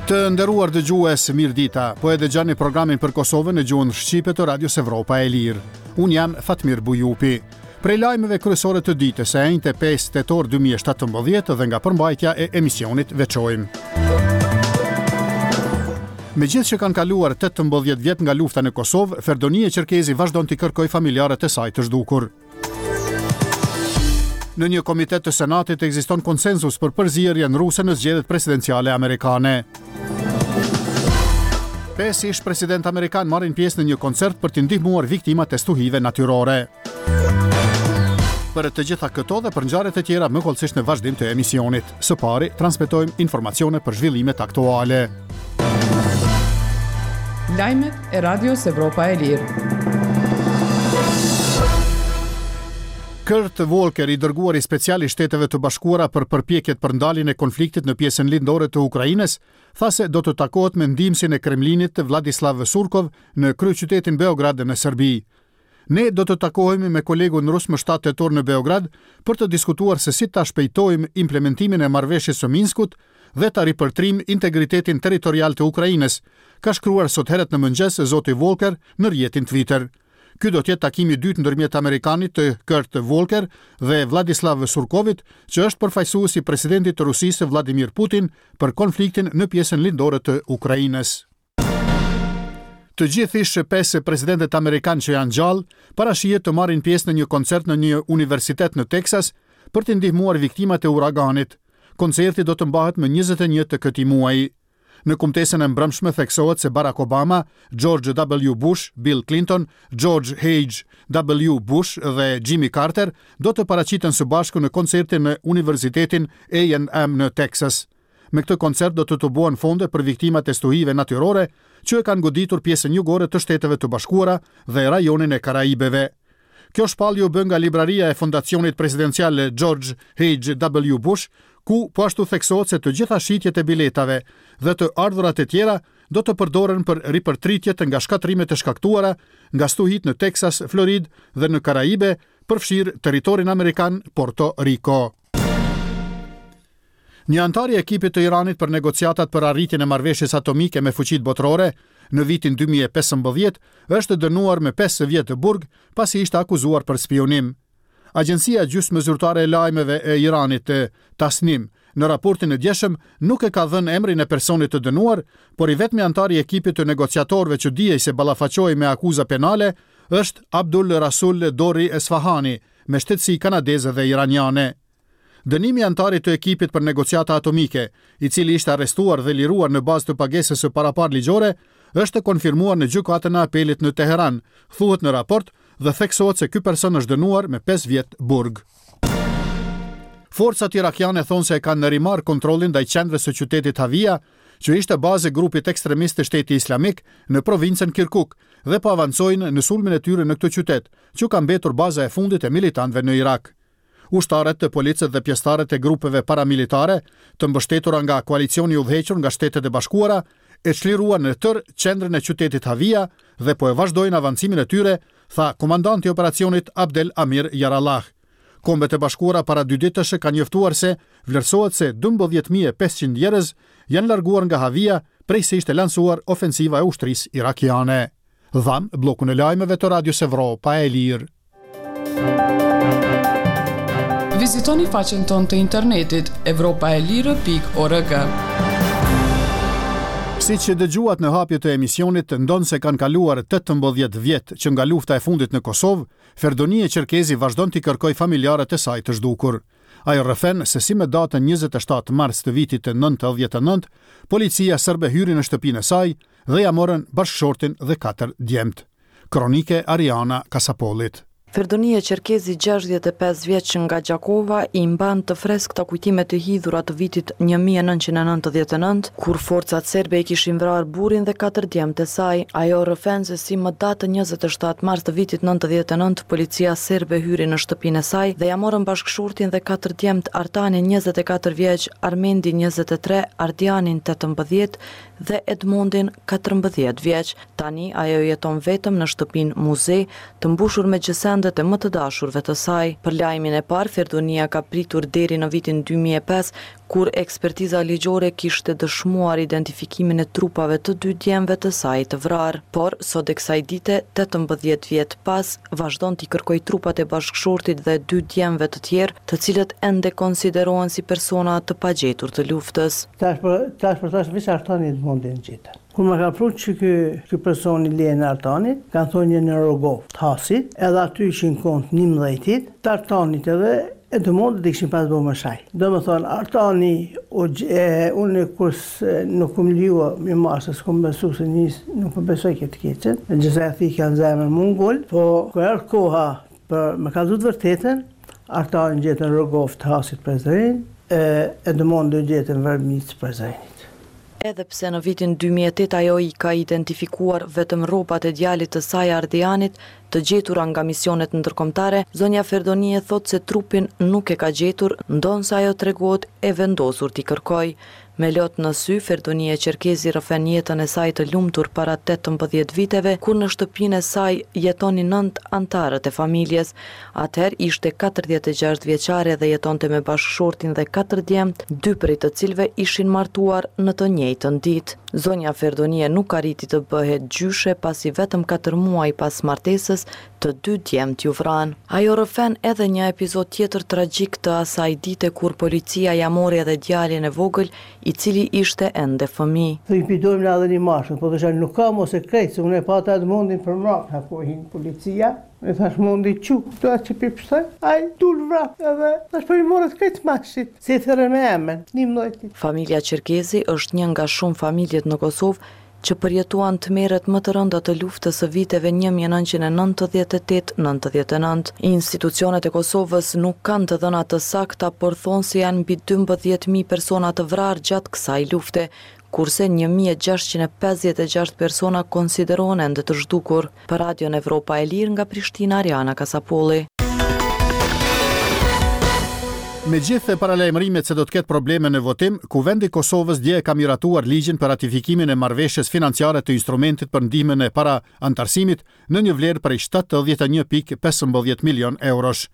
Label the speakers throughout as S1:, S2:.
S1: Të nderuar dëgjues, mirëdita. Po e dëgjoni programin për Kosovën në gjuhën shqipe të Radios Evropa e Lirë. Unë jam Fatmir Bujupi. Prej lajmeve kryesore të ditës së enjte 5 tetor 2017 dhe nga përmbajtja e emisionit veçojmë. Megjithë që kanë kaluar 18 vjet nga lufta në Kosovë, Ferdonije Qerkezi vazhdon t'i kërkojë familjarët e saj të zhdukur. Në një komitet të Senatit ekziston konsensus për përzierjen ruse në zgjedhjet presidenciale amerikane. Pesë ish presidentë amerikanë marrin pjesë në një koncert për t'i ndihmuar viktimat e stuhive natyrore. Për të gjitha këto dhe për ngjarjet e tjera më hollësisht në vazhdim të emisionit. Së pari, transmetojmë informacione për zhvillimet aktuale.
S2: Lajmet e Radios Evropa e Lirë.
S1: Kurt Volker, i dërguari special i Shteteve të Bashkuara për përpjekjet për ndaljen e konfliktit në pjesën lindore të Ukrainës, tha se do të takohet me ndihmësin e Kremlinit Vladislav Surkov në kryeqytetin Beograd në Serbi. Ne do të takohemi me kolegun rus më 7 tetor në Beograd për të diskutuar se si ta shpejtojmë implementimin e marrëveshjes së Minskut dhe ta ripërtrijmë integritetin territorial të Ukrainës, ka shkruar sot herët në mëngjes zoti Volker në rrjetin Twitter. Ky do të jetë takimi i dytë ndërmjet amerikanit të Kurt Volker dhe Vladislav Surkovit, që është përfaqësues i presidentit të Rusisë Vladimir Putin për konfliktin në pjesën lindore të Ukrainës. Të gjithë ish pesë presidentët amerikanë që janë gjallë, parashihet të marrin pjesë në një koncert në një universitet në Teksas për të ndihmuar viktimat e uraganit. Koncerti do të mbahet më 21 të këtij muaji. Në kumtesën e mbrëmshme theksohet se Barack Obama, George W. Bush, Bill Clinton, George H. W. Bush dhe Jimmy Carter do të paraqiten së bashku në koncertin në Universitetin A&M në Teksas. Me këtë koncert do të tubohen fonde për viktimat e stuhive natyrore që e kanë goditur pjesën jugore të Shteteve të Bashkuara dhe rajonin e Karaibeve. Kjo shpallje u bë nga libraria e Fondacionit Presidencial George H. W. Bush, ku po ashtu theksohet se të gjitha shitjet e biletave dhe të ardhurat e tjera do të përdoren për ripërtritjet nga shkatërrimet e shkaktuara nga stuhitë në Teksas, Floridë dhe në Karaibe, përfshirë territorin amerikan Porto Riko. Një anëtar i ekipit të Iranit për negociatat për arritjen e marrëveshjes atomike me fuqitë botërore në vitin 2015 është dënuar me 5 vjet burg pasi ishte akuzuar për spiunim. Agjencia gjysmëzyrtare e lajmeve e Iranit, Tasnim, në raportin e djeshëm nuk e ka dhënë emrin e personit të dënuar, por i vetmi anëtar i ekipit të negociatorëve që dihej se ballafaqohej me akuza penale është Abdul Rasul Dori Esfahani, me shtetësi kanadeze dhe iraniane. Dënimi i anëtarit të ekipit për negociata atomike, i cili ishte arrestuar dhe liruar në bazë të pagesës së paraparë ligjore, është konfirmuar në Gjykatën e Apelit në Teheran, thuhet në raport dhe theksohet se ky person është dënuar me 5 vjet burg. Forcat irakiane thonë se e kanë rimarrë kontrollin ndaj qendrës së qytetit Havia, që ishte bazë e grupit ekstremist të Shteti Islamik në provincën Kirkuk dhe po avancojnë në sulmin e tyre në këtë qytet, që ka mbetur baza e fundit e militantëve në Irak. Ushtarët, policët dhe pjesëtarët e grupeve paramilitare, të mbështetura nga koalicioni i udhëhequr nga Shtetet e Bashkuara, e çliruan në tërë qendrën e qytetit Havia dhe po e vazhdojnë avancimin e tyre, tha komandanti i operacionit Abdel Amir Jarallah. Kombet e Bashkuara para dy ditësh kanë njoftuar se vlerësohet se 12.500 njerëz janë larguar nga Havia prej se ishte lansuar ofensiva e ushtrisë irakiane. Dhamë bllokun e lajmeve të Radios Evropa e Lirë.
S2: Vizitoni faqen tonë të internetit evropaelire.org.
S1: Siç dëgjuat në hapje të emisionit, ndonëse kanë kaluar 18 vjet që nga lufta e fundit në Kosovë, Ferdonije Qerkezi vazhdon t'i kërkojë familjarët e saj të zhdukur. Ajo rrëfen se si me datën 27 mars të vitit 99, policia serbe hyri në shtëpinë e saj dhe ia morën bashkëshortin dhe katër djemtë. Kronikë e Ariana Kasapollit.
S3: Ferdonije Qerkezi 65 vjeç nga Gjakova i mban të freskëta kujtimet e hidhura të vitit 1999, kur forcat serbe i kishin vrarë burrin dhe katër djemtë e saj. Ajo rrëfen se si më datën 27 mars të vitit 99 policia serbe hyri në shtëpinë e saj dhe ia morën bashkëshortin dhe katër djemtë Artanin 24 vjeç, Armendin 23, Ardianin 18 dhe Edmondin 14 vjeç. Tani ajo jeton vetëm në shtëpinë muze, të mbushur me gjësendet e më të dashurve të saj. Për lajmin e parë, Ferdonia ka pritur deri në vitin 2005, kur ekspertiza ligjore kishte dëshmuar identifikimin e trupave të dy djemve të saj të vrarë. Por, sot e kësaj dite, 18 vjet pas, vazhdon t'i kërkojë trupat e bashkëshortit dhe dy djemve të tjerë, të cilët ende konsiderohen si persona të pagjetur të luftës.
S4: Tash për tash për tash veç Artani Edmondin gjetën. Kur ma ka pru që ky ky personi lejen e Artanit, kanë thonë një në Rogovë të Hasit, edhe aty ishin kon të njëmbëdhjetit, të Artanit edhe Edmondit i kishin pas bo me shaj. Domethonë Artani u e unë kur nuk kum leju me marrë se s'kum besu se nis nuk po besoj këtë keqen, gjithsej e thikja në zemër mu ngul, po kur erdh koha për me kallzu të vërtetën, Artani gjetën Rogovë të Hasit Prizren, e Edmondi gjetën Vërmicë Prizrenit.
S3: Edhe pse në vitin 2008 ajo i ka identifikuar vetëm rrobat e djalit të saj Ardianit, të gjetura nga misionet ndërkombëtare, zonja Ferdonije thotë se trupin nuk e ka gjetur, ndonëse ajo tregohet e vendosur t'i kërkojë. Me lot në sy, Ferdonije Qerkezi rrëfen jetën e saj të lumtur para 18 viteve, kur në shtëpinë e saj jetonin nëntë anëtarët e familjes. Atëherë ishte 46 vjeçare dhe jetonte me bashkëshortin dhe katër djemtë, dy prej të cilëve ishin martuar në të njëjtën ditë. Zonja Ferdonije nuk arriti të bëhet gjyshe pasi vetëm katër muaj pas martesës të dy djemtë iu vranë. Ajo rrëfen edhe një epizod tjetër tragjik të asaj dite kur policia ia mori edhe djalin e vogël, i cili ishte ende fëmijë.
S4: Thoj pi dojmë na edhe një mashkull, po thosha nuk ka mo se krejt, se unë e pata Edmondin përmrapa ku hin policia, i thash Mondi çu, këtu atë që pi pshtoj, ai dul vrap edhe thash po i morët krejt mashkujt, se i thërrën me emën, njëmdhejtit.
S3: Familja Qerkezi është një nga shumë familjet në Kosovë që përjetuan tmerret më të rënda të luftës së viteve 1998-99. Institucionet e Kosovës nuk kanë të dhëna të sakta, por thonë se janë mbi 12.000 persona të vrarë gjatë kësaj lufte, kurse 1656 persona konsiderohen ende të zhdukur. Për Radion Evropa e Lirë nga Prishtina, Ariana Kasapolli.
S1: Megjithë paralajmërimet se do të ketë probleme në votim, Kuvendi i Kosovës dje e ka miratuar ligjin për ratifikimin e marrëveshjes financiare të instrumentit për ndihmën e para-anëtarësimit në një vlerë prej 71.15 milion eurosh.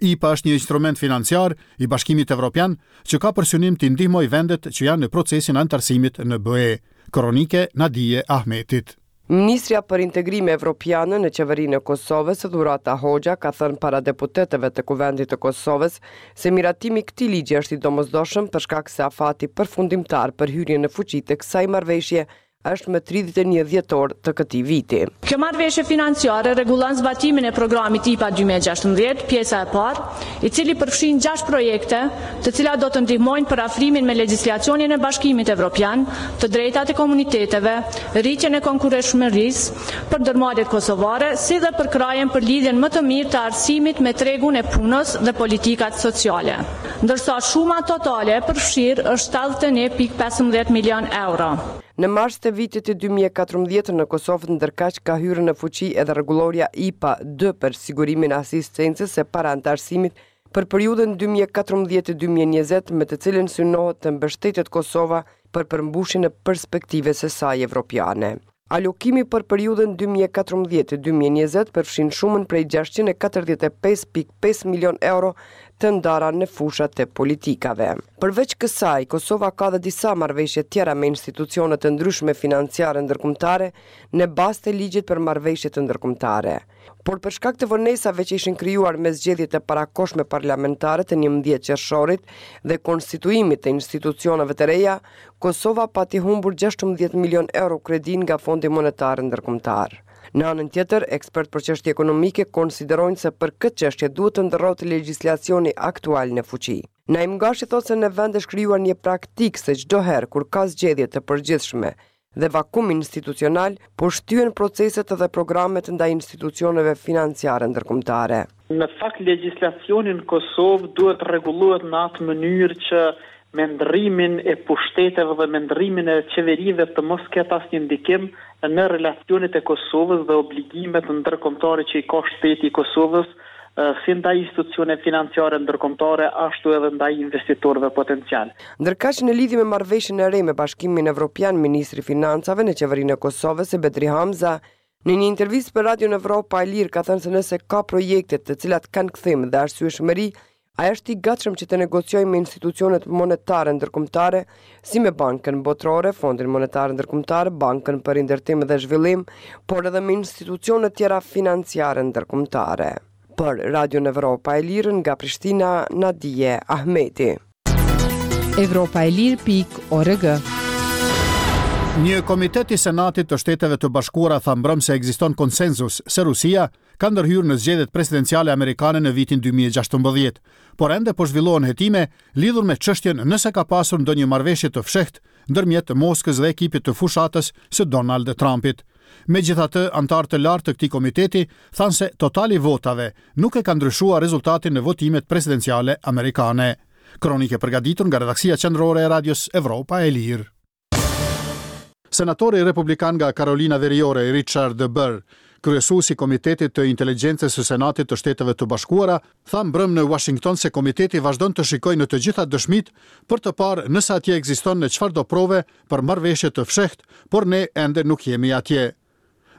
S1: IPA është një instrument financiar i Bashkimit Evropian që ka për synim t'i ndihmojë vendet që janë në procesin e anëtarësimit në BE. Kronikë e Nadije Ahmetit.
S2: Ministrja për Integrime Evropiane në Qeverinë e Kosovës, Dhurata Hoxha, ka thënë para deputetëve të Kuvendit të Kosovës se miratimi i këtij ligji është i domosdoshëm për shkak se afati përfundimtar për hyrjen në fuqi të kësaj marrëveshje është më 31 dhjetor të këtij viti.
S5: Kjo marrëveshje financiare rregullon zbatimin e programit IPA 2016, pjesa e parë, i cili përfshin 6 projekte, të cilat do të ndihmojnë për afrimin me legjislacionin e Bashkimit Evropian, të drejtat e komuniteteve, rritjen e konkurrueshmërisë për ndërmarrjet kosovare, si dhe përkrahjen për lidhjen më të mirë të arsimit me tregun e punës dhe politikat sociale. Ndërsa shuma totale e përfshirë është 71.15 milion euro.
S2: Në mars të vitit 2014 në Kosovë ndërkaq ka hyrë në fuqi edhe rregullorja IPA 2 për sigurimin e asistencës së para-anëtarësimit për periudhën 2014-2020 me të cilën synohet të mbështetet Kosova për përmbushjen e perspektivës së saj evropiane. Alokimi për periudhën 2014-2020 përfshin shumën prej 645.5 milion euro të ndara në fushat e politikave. Përveç kësaj, Kosova ka dhe disa marrëveshje tjera me institucione të ndryshme financiare ndërkombëtare në bazë të ligjit për marrëveshjet ndërkombëtare. Por për shkak të vonesave që ishin krijuar me zgjedhjet e parakohshme parlamentare të 11 qershorit dhe konstituimit të institucioneve të reja, Kosova pati humbur 16 milion euro kredi nga Fondi Monetar Ndërkombëtar. Në anën tjetër, ekspertë për çështje ekonomike konsiderojnë se për këtë çështje duhet të ndërrohet legjislacioni aktual në fuqi. Naim Gashi thotë se në vend është krijuar një praktikë se çdo herë kur ka zgjedhje të përgjithshme dhe vakum institucional, po shtyhen proceset dhe programet ndaj institucioneve financiare ndërkombëtare.
S6: Në fakt legjislacioni në Kosovë duhet të rregullohet në atë mënyrë që me ndërrimin e pushteteve dhe me ndërrimin e qeverive të mos ketë asnjë ndikim në relacionet e Kosovës dhe obligimet ndërkombëtare që i ka shteti i Kosovës si ndaj institucioneve financiare ndërkombëtare ashtu edhe ndaj investitorëve potencial.
S2: Ndërkaq në lidhje me marrëveshjen e re me Bashkimin Evropian, ministri i Financave në Qeverinë e Kosovës, Bedri Hamza, në një intervistë për Radion Evropa e Lirë ka thënë se nëse ka projekte të cilat kanë kthim dhe arsyeshmëri, Ai është i gatshëm që të negociojë me institucionet monetare ndërkombëtare, si me Bankën Botërore, Fondin Monetar Ndërkombëtar, Bankën për Rindërtim dhe Zhvillim, por edhe me institucione tjera financiare ndërkombëtare. Për Radion Evropa e Lirë nga Prishtina, Nadije Ahmeti.
S7: Evropa e Lirë pikë org.
S1: Një komitet i Senatit të Shteteve të Bashkuara tha mbrëmë se ekziston konsensus se Rusia ka ndërhyrë në zgjedhjet presidenciale amerikane në vitin 2016, por ende po zhvillohen hetime lidhur me çështjen nëse ka pasur ndonjë marrëveshje të fshehtë ndërmjet Moskës dhe ekipit të fushatës së Donald Trumpit. Megjithatë, anëtarë të lartë të këtij komiteti thanë se totali i votave nuk e ka ndryshuar rezultatin në votimet presidenciale amerikane. Kronikë e përgatitur nga redaksia qendrore e Radios Evropa e Lirë. Senatori republikan nga Karolina Veriore, Richard Burr, kryesues i Komitetit të Inteligjencës së Senatit të Shteteve të Bashkuara, tha mbrëmë në Uashington se komiteti vazhdon të shikojë në të gjitha dëshmitë për të parë nëse atje ekziston çfarëdo prove për marrëveshje të fshehtë, por ne ende nuk jemi atje.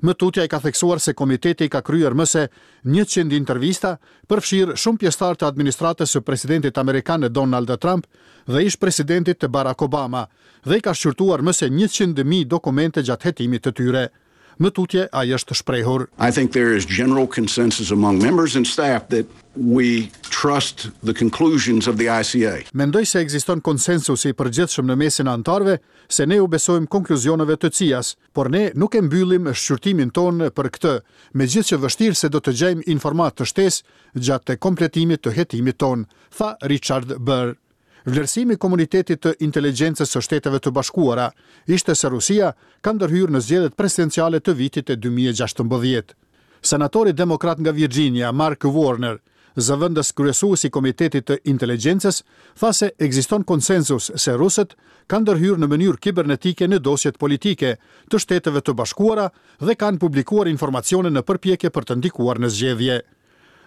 S1: Më tutje ai ka theksuar se komiteti ka kryer më se 100 intervista, përfshirë shumë pjesëtarë të administratës së presidentit amerikan Donald Trump dhe ish-presidentit Barack Obama, dhe i ka shqyrtuar më se 100.000 dokumente gjatë hetimit të tyre. Më tutje ai është shprehur.
S8: I think there is general consensus among members and staff that we trust the conclusions of the ICA.
S1: Mendoj se ekziston konsensusi i përgjithshëm në mesin e anëtarëve se ne u besojmë konkluzioneve të CIA-s, Por ne nuk e mbyllim shqyrtimin tonë për këtë, megjithëqë vështirë se do të gjejmë informatë të shtesë gjatë kompletimit të hetimit tonë, tha Richard Burr. Vlerësimi i komunitetit të inteligjencës së Shteteve të Bashkuara ishte se Rusia ka ndërhyrë në zgjedhjet presidenciale të vitit 2016. Senatori demokrat nga Virginia, Mark Warner, zëvendës kryesues i Komitetit të Inteligjencës, tha se ekziston konsensus se rusët kanë ndërhyrë në mënyrë kibernetike në dosjet politike të Shteteve të Bashkuara dhe kanë publikuar informacione në përpjekje për të ndikuar në zgjedhje.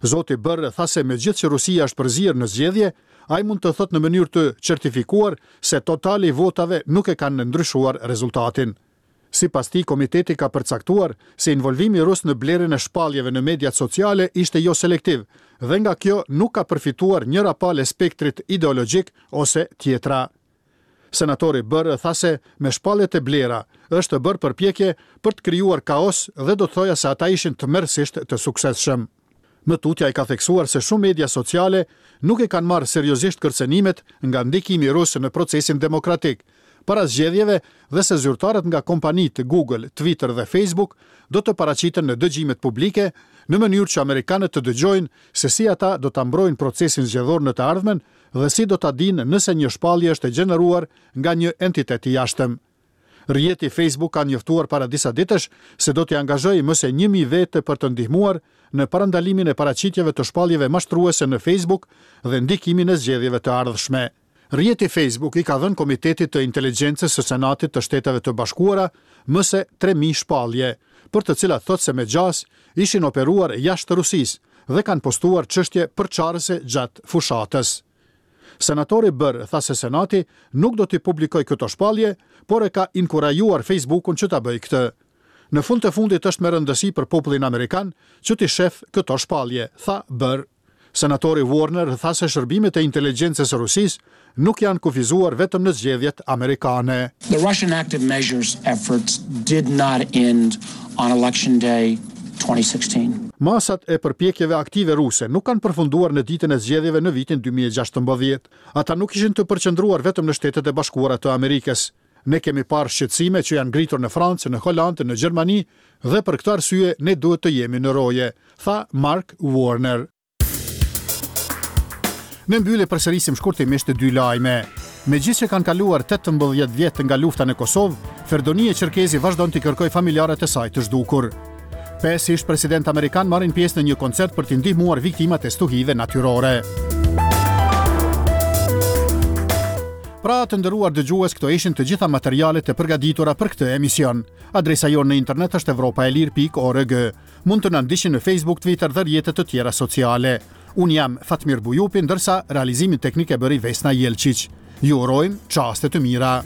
S1: Zoti Burr tha se megjithëqë Rusia është përzier në zgjedhje, ai mund të thotë në mënyrë të certifikuar se totali i votave nuk e kanë ndryshuar rezultatin. Sipas tij, komiteti ka përcaktuar se involvimi rus në blerjen e shpalljeve në mediat sociale ishte jo selektiv dhe nga kjo nuk ka përfituar njëra palë e spektrit ideologjik ose tjetra. Senatori Burr tha se me shpalljet e blera është bërë përpjekje për të krijuar kaos dhe do të thoja se ata ishin tmerrësisht të suksesshëm. Më tutje ai ka theksuar se shumë media sociale nuk e kanë marrë seriozisht kërcënimet nga ndikimi rus në procesin demokratik para zgjedhjeve dhe se zyrtarët nga kompanitë Google, Twitter dhe Facebook do të paraqiten në dëgjimet publike në mënyrë që amerikanët të dëgjojnë se si ata do ta mbrojnë procesin zgjedhor në të ardhmen dhe si do ta dinë nëse një shpallje është e gjeneruar nga një entitet i jashtëm. Rrjeti Facebook ka njoftuar para disa ditësh se do t'i angazhojë më se 1000 vetë për të ndihmuar në parandalimin e paraqitjeve të shpalljeve mashtruese në Facebook dhe ndikimin e zgjedhjeve të ardhshme. Rrjeti Facebook i ka dhënë Komitetit të Inteligjencës së Senatit të Shteteve të Bashkuara më se 3000 shpallje, për të cilat thotë se me gjasë ishin operuar jashtë Rusisë dhe kanë postuar çështje përçarëse gjatë fushatës. Senatori Burr tha se Senati nuk do t'i publikojë këto shpallje, por e ka inkurajuar Facebookun që ta bëjë këtë. Në fund të fundit është me rëndësi për popullin amerikan që t'i shef këto shpallje, tha Burr. Senatori Warner tha se shërbimet e inteligjencës së Rusisë nuk janë kufizuar vetëm në zgjedhjet amerikane.
S9: The Russian active measures efforts did not end on election day 2016.
S1: Masat e përpjekjeve aktive ruse nuk kanë përfunduar në ditën e zgjedhjeve në vitin 2016. Ata nuk ishin të përqendruar vetëm në Shtetet e Bashkuara të Amerikës. Ne kemi parë shqetësime që janë ngritur në Francë, në Holandë, në Gjermani dhe për këtë arsye ne duhet të jemi në roje, tha Mark Warner. Në mbyllje përsërisim shkurtimisht dy lajme. Megjithëse kanë kaluar 18 vjet nga lufta në Kosovë, Ferdonije Qerkezi vazhdon t'i kërkojë familjarët e saj të zhdukur. Pesë ish presidentë amerikanë marrin pjesë në një koncert për t'i ndihmuar viktimat e stuhive natyrore. Pra, të nderuar dëgjues, këto ishin të gjitha materialet e përgatitura për këtë emision. Adresa jonë në internet është evropaelire.org. Mund të na ndiqni në Facebook, Twitter dhe rrjete të tjera sociale. Unë jam Fatmir Bujupi, ndërsa realizimin teknik e bëri Vesna Jelqiq. Ju urojmë çaste të mira.